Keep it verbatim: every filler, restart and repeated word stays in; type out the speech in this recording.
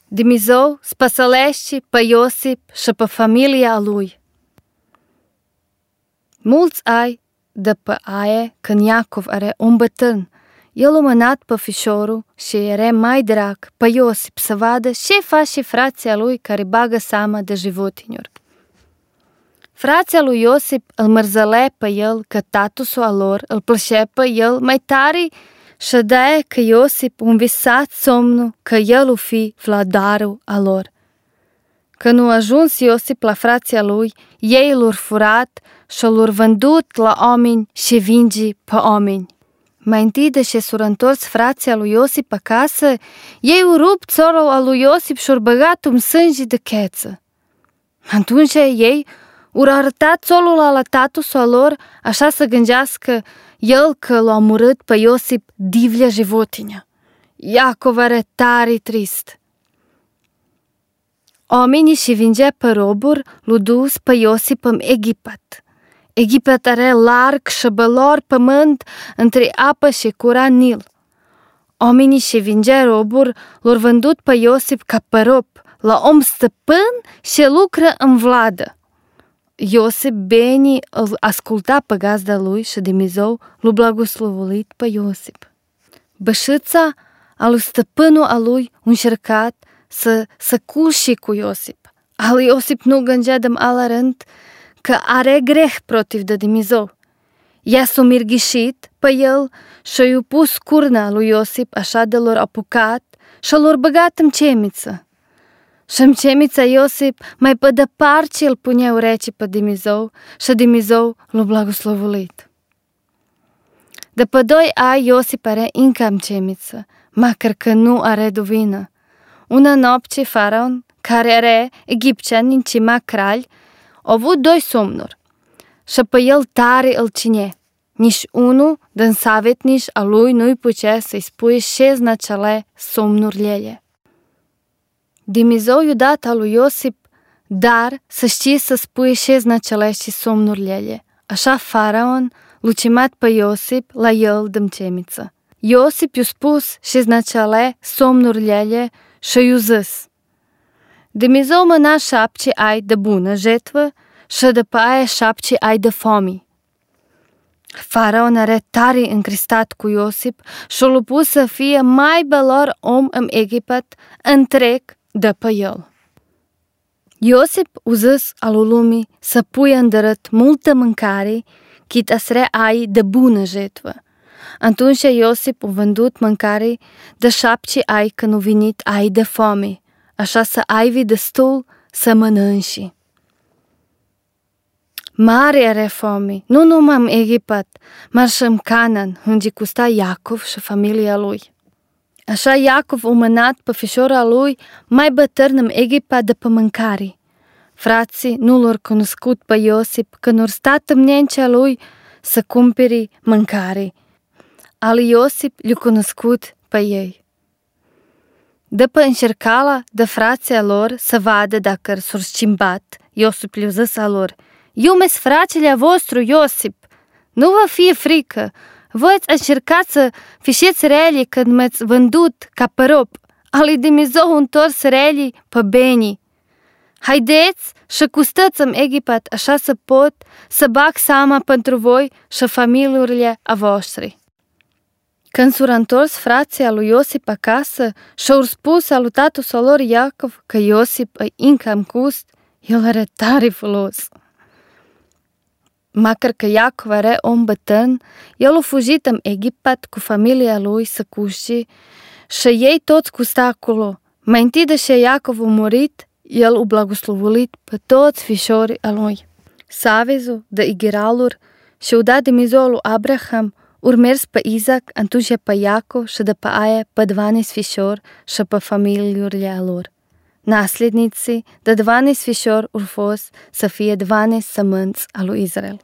Dumnezeu spăsălește pe Iosip și pe familia lui. Mulți ai de pe aia când Iacov are un bătrân, el a mânat pe fișorul și era mai drag pe Iosip să vadă ce face frația lui care bagă seama de životinjuri. Frația lui Iosip îl mărzăle pe el că tatusul a lor îl plășea pe el mai tare și de că Iosip un visat somnul că el o fi vladarul a lor. Când nu ajuns Iosip la frația lui, ei l-au furat și l-au vândut la oameni și vingi pe oameni. Mai întâi de ce s-au întors frația lui Iosip acasă, ei au rupt țorul al lui Iosip și au băgat un sânge de cheță. Atunci ei au arătat țolul la tatusul lor, așa să gândească el că l-a omorât pe Iosip divlja životinja. Iacov era tare trist. Oamenii și vingea pe roburi l-au dus pe Iosip în Egipt. Egipt are larg și bălor pământ între apă și cura Nil. Oamenii și vingea roburi l-au vândut pe Iosip ca pe rob, la om stăpân și lucră în vladă. Iosip bine îl asculta pe gazda lui și Dumnezeu l-a blagoslovit pe Iosip. Bășița a lui stăpânul a lui încercat să să culși cu Iosip. Al Iosip nu gândea de ala rând că are greh protiv de Dumnezeu. Ea s-a mirghișit pe el și i-a pus curna lui Iosip așa de l-or apucat și l-or băgat în cemiță. Și în cemița Iosip mai pe departe îl punea urechii pe Dumnezeu și Dumnezeu l-a blagoslovit. După doi ani Iosip are încă în cemiță, măcar că nu are duvină. Una noapte faraon, care era egiptean în cima kralj, a avut doi somnuri și pe el tare îl cine. Nici unul din savetnici a lui nu-i putea să-i spui ce znacele somnurile. Dumnezeu i-a dat al lui Iosip dar să știe să spui ce znacele și somnurile. Așa faraon l-a chemat pe Iosip la el din cemiță. Iosip i-a spus ce znacele somnurile și i-a zis: Dumnezeu mâna șapte ai de bună jetvă și după aia șapte ai de foame. Faraon era tare încristat cu Iosip și l-a pus să fie mai belor om în Egipt întreg după el. Iosip a zis al lumii să puie îndărât multă mâncare cât asre ai de bună jetvă. Atunci Iosip a vândut mâncare de șapte ai când au venit ai de foame, așa să ai destul să mănânci. Mare era foame, nu numai în Egipt, dar și în Canaan, unde custa Iacov și familia lui. Așa Iacov a mânat pe fișora lui mai bătrân în Egipt de pe mâncare. Frații nu l-au cunoscut pe Iosip când au stat în nencea lui să cumpere mâncare. Al Iosip l-a cunoscut pe ei. După încercala de frația lor să vadă dacă s-au schimbat, Iosip le-a zis a lor: Eu mi-s fratele vostru, Iosip, nu vă fie frică, voi ați încercat să fișeți rele când m-ați vândut ca pe rob, ali Dumnezeu întors rele pe benii. Haideți și custăți în Egipt așa să pot să bag seama pentru voi și familiile a voastre. Când s-au întors frații lui Iosip acasă și-au spus al lui tatăl lor Iacov că Iosip e încă în cust, el era tare folos. Măcar că Iacov era om bătrân, el a fugit în Egipt cu familia lui să cuște și ei toți custa acolo. Mai întâi de ce Iacov a murit, el a blagoslovit pe toți fișorii a lui. Savezul de igraluri și-au dat Dumnezeu lui Abraham, urmers pe Isaac, atunci pe Iacov și după aia pe dvanajst fișori și pe familiile lor. Nasledniții de dvanajst fișori au fost să fie dvanajst sămânți al lui Israel.